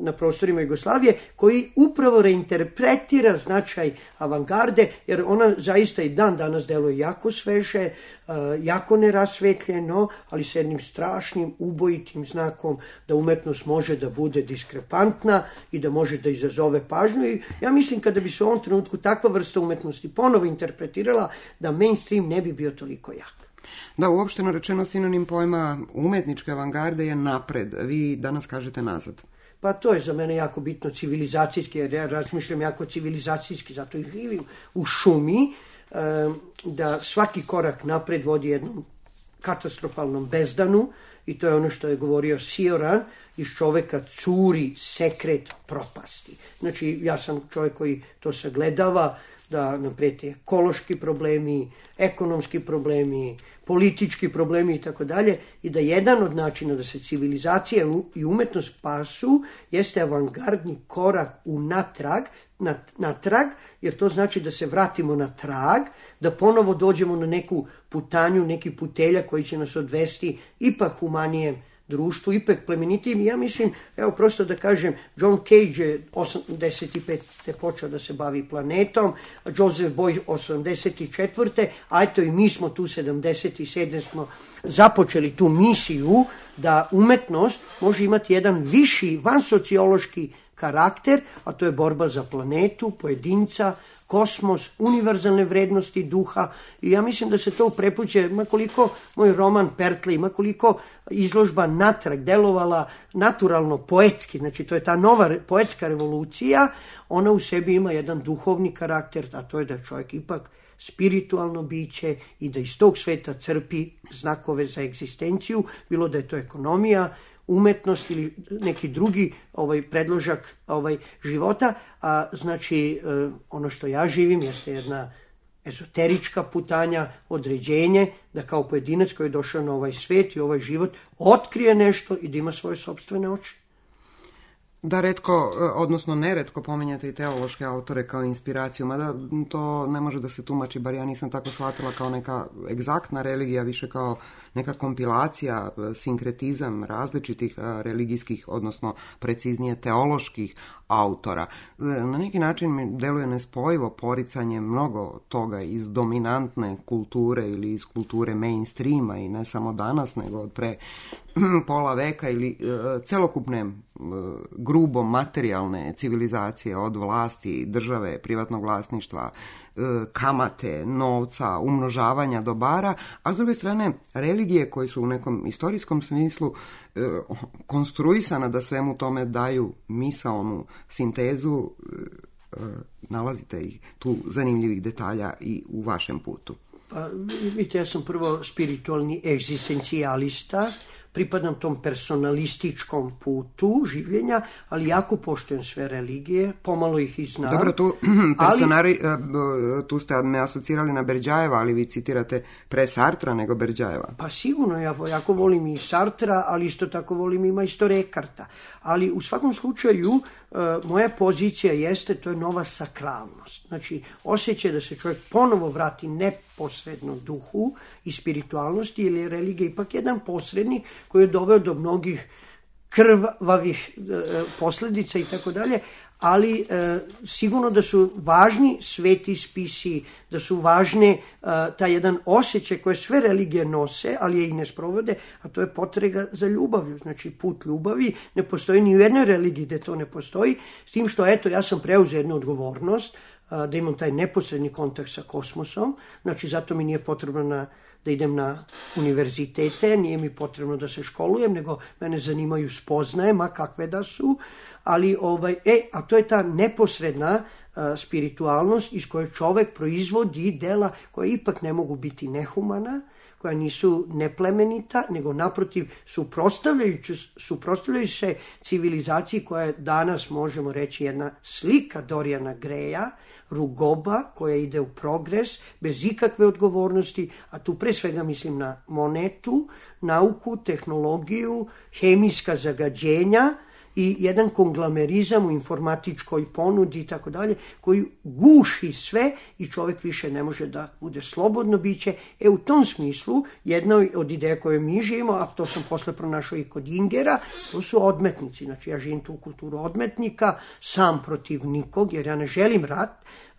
na prostorima Jugoslavije, koji upravo reinterpretira značaj avangarde, jer ona zaista i dan danas deluje jako sveže, jako nerasvetljeno, ali sa jednim strašnim ubojitim znakom da umetnost može da bude diskrepantna i da može da izazove pažnju. I ja mislim kada bi se u ovom trenutku takva vrsta umetnosti ponovo interpretirala, da mainstream ne bi bio toliko jak. Da, uopšteno rečeno sinonim pojma umetničke avangarde je napred. Vi danas kažete nazad. Pa to je za mene jako bitno civilizacijski, jer ja razmišljam jako civilizacijski, zato i živim u šumi, da svaki korak napred vodi jednom katastrofalnom bezdanu i to je ono što je govorio Sioran, iz čoveka curi sekret propasti. Znači, ja sam čovjek koji to sagledava, da nam prete ekološki problemi, ekonomski problemi, politički problemi i tako dalje, i da jedan od načina da se civilizacija i umetnost spasu jeste avangardni korak u natrag, natrag, jer to znači da se vratimo na trag, da ponovo dođemo na neku putanju, neki putelja koji će nas odvesti ipak humanijem društvu, ipak plemenitijim. I ja mislim, evo prosto da kažem, John Cage je osamdeset pete počeo da se bavi planetom, Joseph Boy osamdeset četvrte a eto i mi smo tu sedamdeset sedme smo započeli tu misiju da umetnost može imati jedan viši, vansociološki karakter, a to je borba za planetu, pojedinca, kosmos, univerzalne vrednosti duha. I ja mislim da se to prepuće, makoliko moj roman Pertli, makoliko izložba natrag delovala naturalno, poetski, znači to je ta nova poetska revolucija, ona u sebi ima jedan duhovni karakter, a to je da je čovjek ipak spiritualno biće i da iz tog sveta crpi znakove za egzistenciju, bilo da je to ekonomija, umetnost ili neki drugi ovaj predložak ovaj života, a znači ono što ja živim jeste jedna ezoterička putanja, određenje, da kao pojedinac koji je došao na ovaj svet i ovaj život otkrije nešto i da ima svoje sopstvene oči. Da, retko, odnosno neretko pominjate i teološke autore kao inspiraciju, mada to ne može da se tumači, bar ja nisam tako shvatila kao neka egzaktna religija, više kao neka kompilacija, sinkretizam različitih religijskih, odnosno preciznije teoloških autora. Na neki način mi deluje nespojivo poricanje mnogo toga iz dominantne kulture ili iz kulture mainstreama i ne samo danas, nego od pre pola veka ili uh, celokupne uh, grubo materijalne civilizacije od vlasti, države, privatnog vlasništva, uh, kamate, novca, umnožavanja dobara, a s druge strane religije koje su u nekom istorijskom smislu uh, konstruisana da svemu tome daju misaonu sintezu, uh, uh, nalazite ih tu zanimljivih detalja i u vašem putu. Pa vidite, ja sam prvo spiritualni egzistencijalista, pripadam tom personalističkom putu življenja, ali jako poštujem sve religije, pomalo ih i znam. Dobro, tu, personari, ali, tu ste me asocirali na Berdjajeva, ali vi citirate pre Sartra nego Berdjajeva. Pa sigurno, ja jako volim i Sartra, ali isto tako volim i majstora Ekarta. Ali u svakom slučaju, moja pozicija jeste, to je nova sakralnost. Znači, osjećaj da se čovjek ponovo vrati neposredno duhu i spiritualnosti, ili je religija ipak jedan posrednik koji je doveo do mnogih krvavih e, posljedica i tako dalje, ali e, sigurno da su važni sveti spisi, da su važne e, taj jedan osjećaj koje sve religije nose, ali je i ne sprovode, a to je potrega za ljubavlju. Znači, put ljubavi ne postoji ni u jednoj religiji gde to ne postoji, s tim što, eto, ja sam preuzeo jednu odgovornost, a, da imam taj neposredni kontakt sa kosmosom, znači zato mi nije potrebno na da idem na univerzitete, nije mi potrebno da se školujem, nego mene zanimaju spoznaje, ma kakve da su, ali ovaj, e, a to je ta neposredna a, spiritualnost iz koje čovek proizvodi dela koja ipak ne mogu biti nehumana, koja nisu neplemenita, nego naprotiv suprotstavljaju se civilizaciji koja je danas, možemo reći, jedna slika Dorijana Greja, rugoba koja ide u progres, bez ikakve odgovornosti, a tu pre svega mislim na monetu, nauku, tehnologiju, hemijska zagađenja i jedan konglomerizam u informatičkoj ponudi i tako dalje, koji guši sve i čovjek više ne može da bude slobodno biće. E u tom smislu, jedna od ideja koje mi živimo, a to sam posle pronašao i kod Ingera, to su odmetnici. Znači ja živim tu kulturu odmetnika, sam protiv nikog, jer ja ne želim rat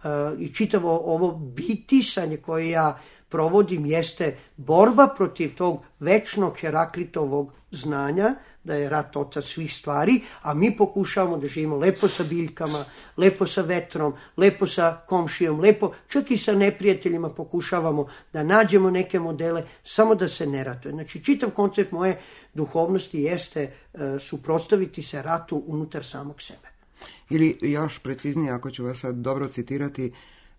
uh, i čitavo ovo bitisanje koje ja provodim jeste borba protiv tog večnog Heraklitovog znanja, da je rat otac svih stvari, a mi pokušavamo da živimo lepo sa biljkama, lepo sa vetrom, lepo sa komšijom, lepo, čak i sa neprijateljima pokušavamo da nađemo neke modele, samo da se ne ratuje. Znači, čitav koncept moje duhovnosti jeste uh, suprotstaviti se ratu unutar samog sebe. Ili još preciznije, ako ću vas sad dobro citirati,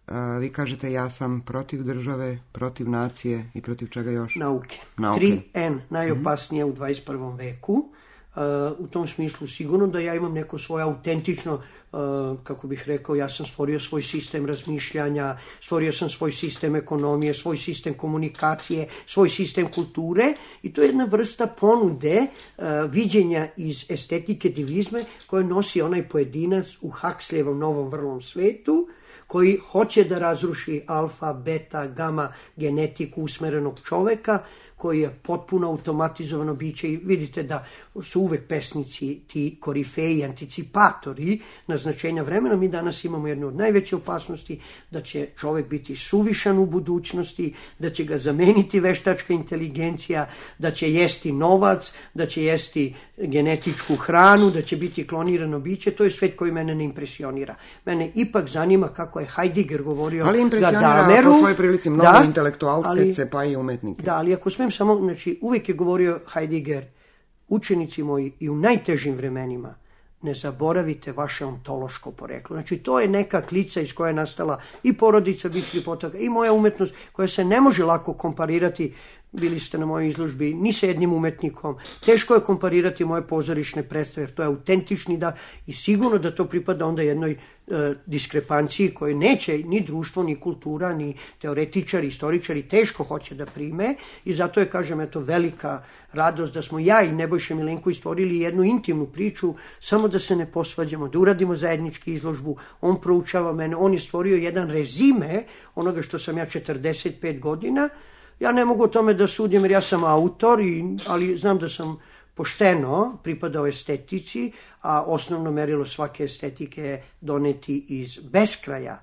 Uh, vi kažete ja sam protiv države, protiv nacije i protiv čega još? Nauke. Nauke. tri en, najopasnije mm-hmm. u dvadeset prvom veku. Uh, u tom smislu sigurno da ja imam neko svoje autentično, uh, kako bih rekao, ja sam stvorio svoj sistem razmišljanja, stvorio sam svoj sistem ekonomije, svoj sistem komunikacije, svoj sistem kulture i to je jedna vrsta ponude uh, viđenja iz estetike divizme koje nosi onaj pojedinac u Huxleyevom novom vrlom svetu, koji hoće da razruši alfa, beta, gama genetiku usmerenog čoveka, koji je potpuno automatizovano biće i vidite da su uvek pesnici ti korifeji, anticipatori naznačenja vremena. Mi danas imamo jednu od najveće opasnosti da će čovek biti suvišan u budućnosti, da će ga zameniti veštačka inteligencija, da će jesti novac, da će jesti genetičku hranu, da će biti klonirano biće. To je svet koji mene ne impresionira. Mene ipak zanima kako je Heidegger govorio ali impresionira Gadameru, po svojoj prilici mnogo da, intelektualce pa i umetnike. Da, ali ako smem samo, znači uvijek je govorio Heidegger, učenici moji i u najtežim vremenima ne zaboravite vaše ontološko poreklo. Znači to je neka klica iz koje je nastala i porodica Bitskih potoka i moja umetnost koja se ne može lako komparirati bili ste na mojoj izložbi ni sa jednim umetnikom. Teško je komparirati moje pozorišne predstave, jer to je autentični da i sigurno da to pripada onda jednoj e, diskrepanciji koje neće ni društvo, ni kultura, ni teoretičari, istoričari teško hoće da prime i zato je, kažem, eto, velika radost da smo ja i Nebojša Milenković stvorili jednu intimnu priču, samo da se ne posvađamo, da uradimo zajednički izložbu, on proučava mene, on je stvorio jedan rezime onoga što sam ja četrdeset pet godina. Ja ne mogu o tome da sudim jer ja sam autor, i, ali znam da sam pošteno pripadao estetici, a osnovno merilo svake estetike je doneti iz beskraja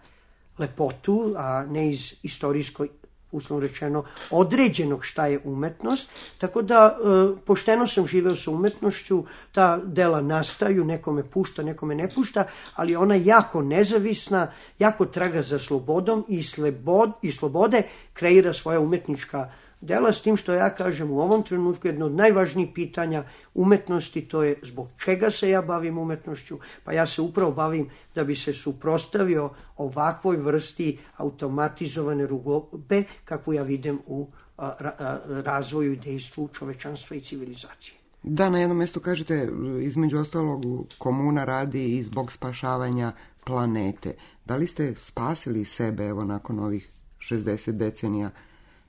lepotu, a ne iz istorijskoj, uslovno rečeno, određenog šta je umetnost. Tako da e, pošteno sam živeo sa umetnošću, ta dela nastaju, nekome pušta, nekome ne pušta, ali ona jako nezavisna, jako traga za slobodom i, slobod, i slobode kreira svoja umetnička dela, s tim što ja kažem u ovom trenutku jedno od najvažnijih pitanja umetnosti, to je zbog čega se ja bavim umetnošću, pa ja se upravo bavim da bi se suprotstavio ovakvoj vrsti automatizovane rugobe kakvu ja vidim u a, a, razvoju i dejstvu čovečanstva i civilizacije. Da, na jednom mjestu kažete, između ostalog, komuna radi i zbog spašavanja planete. Da li ste spasili sebe, evo, nakon ovih šezdeset decenija?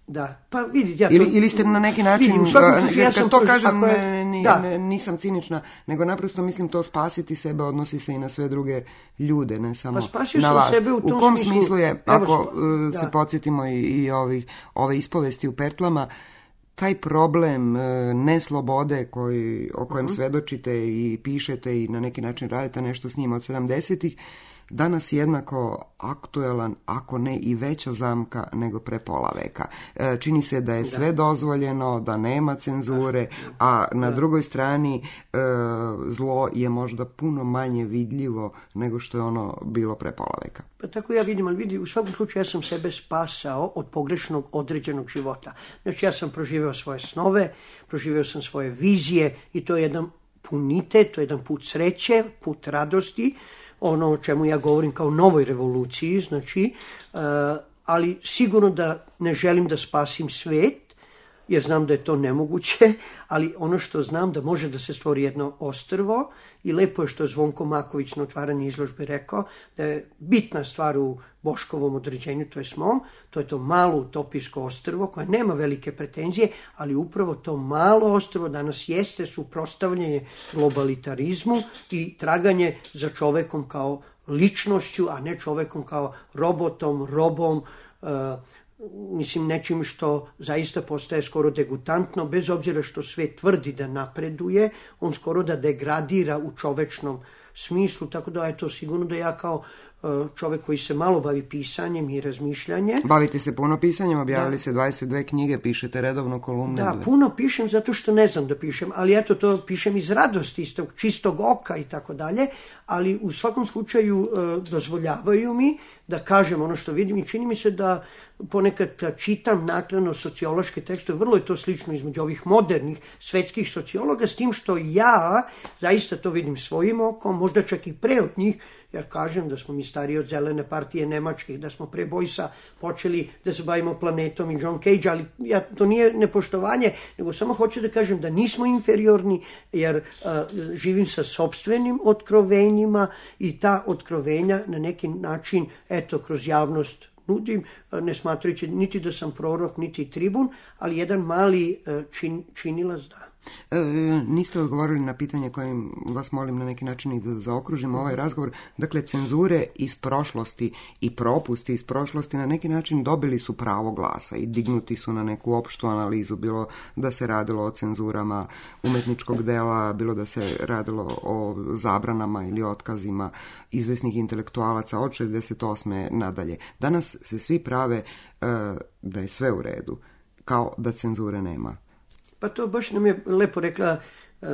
Da, pa vidite, ja to... Ili, ili ste na neki način, vidi, slučaju, ja kad to proži, kažem, je, ne, ne, da. ne, nisam cinična, nego naprosto mislim to spasiti sebe odnosi se i na sve druge ljude, ne samo pa spasio na sam vas. Sebe u, tom u kom smislu, smislu je, evo, ako da. se podsjetimo i, i ovih, ove ispovesti u Pertlama, taj problem neslobode koji, o kojem uh-huh. svedočite i pišete i na neki način radite nešto s njim od sedamdesetih, danas jednako aktuelan, ako ne i veća zamka nego pre pola veka. E, čini se da je sve da. dozvoljeno, da nema cenzure, a na da. drugoj strani e, zlo je možda puno manje vidljivo nego što je ono bilo pre pola veka. Pa tako ja vidim, ali vidi, u svakom slučaju ja sam sebe spasao od pogrešnog određenog života. Znači ja sam proživeo svoje snove, proživeo sam svoje vizije i to je jedan punitet, to je jedan put sreće, put radosti, ono o čemu ja govorim kao novoj revoluciji, znači, uh, ali sigurno da ne želim da spasim svet, jer znam da je to nemoguće, ali ono što znam da može da se stvori jedno ostrvo i lepo je što je Zvonko Maković na otvaranju izložbe rekao da je bitna stvar u Boškovom određenju, to je mom, to je to malo utopijsko ostrvo koje nema velike pretenzije, ali upravo to malo ostrvo danas jeste suprotstavljanje globalitarizmu i traganje za čovekom kao ličnošću, a ne čovekom kao robotom, robom, uh, mislim nečim što zaista postaje skoro degutantno, bez obzira što svet tvrdi da napreduje, on skoro da degradira u čovečnom smislu, tako da je to sigurno da ja kao čovjek koji se malo bavi pisanjem i razmišljanjem. Bavite se puno pisanjem, objavili da. se dvadeset dve knjige, pišete redovno kolumne. Da, puno pišem zato što ne znam da pišem, ali eto to pišem iz radosti, iz tog čistog oka i tako dalje, ali u svakom slučaju e, dozvoljavaju mi da kažem ono što vidim i čini mi se da ponekad čitam naknadno sociološke tekstove, vrlo je to slično između ovih modernih svetskih sociologa, s tim što ja zaista to vidim svojim okom, možda čak i pre od njih, jer kažem da smo mi stariji od Zelene partije Nemačke, da smo pre Bojsa počeli da se bavimo planetom i John Cage, ali ja, to nije nepoštovanje, nego samo hoću da kažem da nismo inferiorni, jer uh, živim sa sopstvenim otkrovenjima i ta otkrovenja na neki način, eto, kroz javnost nudim, ne smatrajući niti da sam prorok, niti tribun, ali jedan mali uh, čin, činilac da. E, niste odgovorili na pitanje kojim vas molim na neki način i da zaokružimo ovaj razgovor. Dakle, cenzure iz prošlosti i propusti iz prošlosti na neki način dobili su pravo glasa i dignuti su na neku opštu analizu, bilo da se radilo o cenzurama umetničkog dela, bilo da se radilo o zabranama ili otkazima izvesnih intelektualaca od šezdeset osme nadalje. Danas se svi prave e, da je sve u redu, kao da cenzure nema. Pa to baš nam je lepo rekla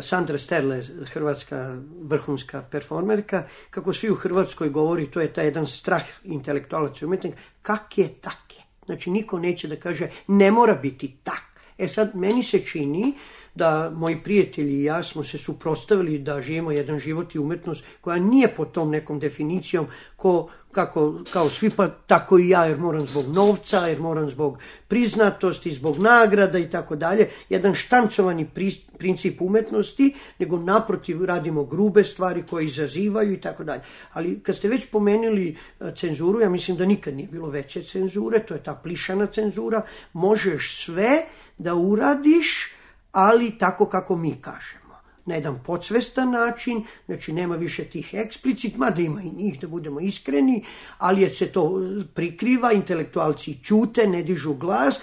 Sandra Sterle, hrvatska vrhunska performerka, kako svi u Hrvatskoj govori, to je taj jedan strah intelektualaca i umetnika, kak je, tak je. Znači, niko neće da kaže, ne mora biti tak. E sad, meni se čini da moji prijatelji i ja smo se suprotstavili da živimo jedan život i umetnost koja nije pod tom nekom definicijom ko, kako, kao svi, pa tako i ja, jer moram zbog novca, jer moram zbog priznatosti, zbog nagrada i tako dalje. Jedan štancovani pri, princip umetnosti, nego naprotiv radimo grube stvari koje izazivaju i tako dalje. Ali kad ste već pomenuli cenzuru, ja mislim da nikad nije bilo veće cenzure, to je ta plišana cenzura, možeš sve da uradiš, ali tako kako mi kažemo. Na jedan podsvestan način, znači nema više tih eksplicit, mada ima i njih, da budemo iskreni, ali je se to prikriva, intelektualci ćute, ne dižu glas,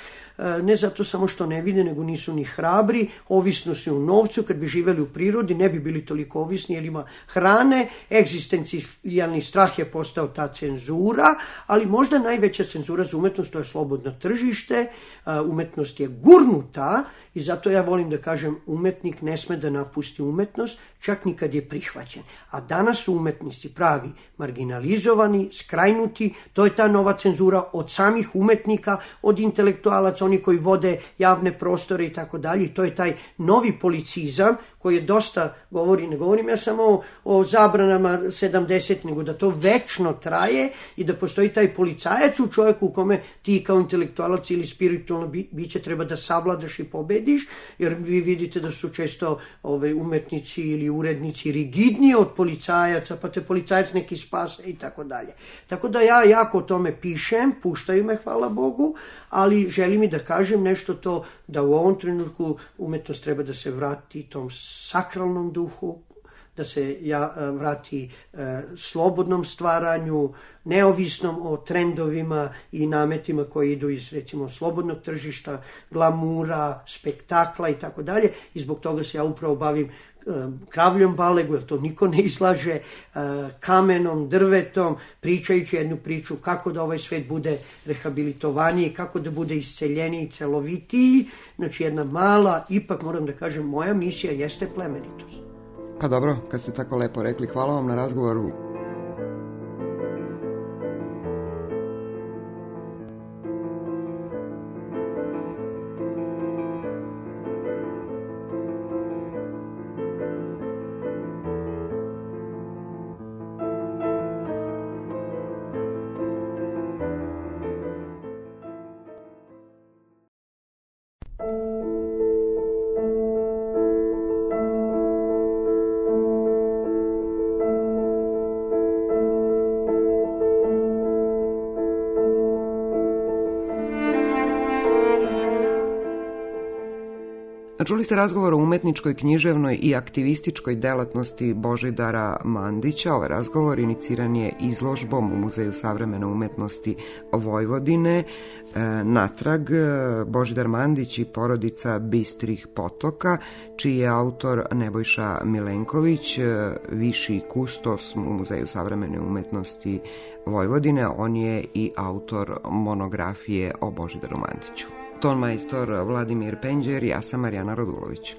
ne zato samo što ne vide, nego nisu ni hrabri, ovisno su u novcu, kad bi živeli u prirodi ne bi bili toliko ovisni jer ima hrane, egzistencijalni strah je postao ta cenzura, ali možda najveća cenzura za umetnost to je slobodno tržište, umetnost je gurnuta i zato ja volim da kažem umetnik ne sme da napusti umetnost, čak ni kad je prihvaćen. A danas su umetnici pravi marginalizovani, skrajnuti, to je ta nova cenzura od samih umetnika, od intelektualaca, oni koji vode javne prostore i tako dalje. To je taj novi policizam koji je dosta govori, ne govorim ja samo o, o zabranama sedamdeset, nego da to večno traje i da postoji taj policajac u čovjeku u kome ti kao intelektualac ili spiritualno bi, biće treba da savladaš i pobediš, jer vi vidite da su često ove, umetnici ili urednici rigidniji od policajaca, pa te policajac neki spase i tako dalje. Tako da ja jako o tome pišem, puštaju me, hvala Bogu, ali želim i da kažem nešto to, da u ovom trenutku umetnost treba da se vrati tom sakralnom duhu, da se ja, vrati e, slobodnom stvaranju, neovisnom o trendovima i nametima koji idu iz, recimo, slobodnog tržišta, glamura, spektakla i tako dalje. I zbog toga se ja upravo bavim kravljom balegu, jer to niko ne izlaže, kamenom, drvetom, pričajući jednu priču kako da ovaj svet bude rehabilitovaniji, kako da bude isceljeniji, celovitiji. Znači jedna mala, ipak moram da kažem, moja misija jeste plemenitost. Pa dobro, kad ste tako lepo rekli, hvala vam na razgovoru. Čuli ste razgovor o umetničkoj, književnoj i aktivističkoj delatnosti Božidara Mandića. Ovaj razgovor iniciran je izložbom u Muzeju savremene umetnosti Vojvodine. E, natrag Božidar Mandić i porodica Bistrih potoka, čiji je autor Nebojša Milenković, viši kustos u Muzeju savremene umetnosti Vojvodine. On je i autor monografije o Božidaru Mandiću. Ton majstor Vladimir Penđer, ja sam Marijana Radulović.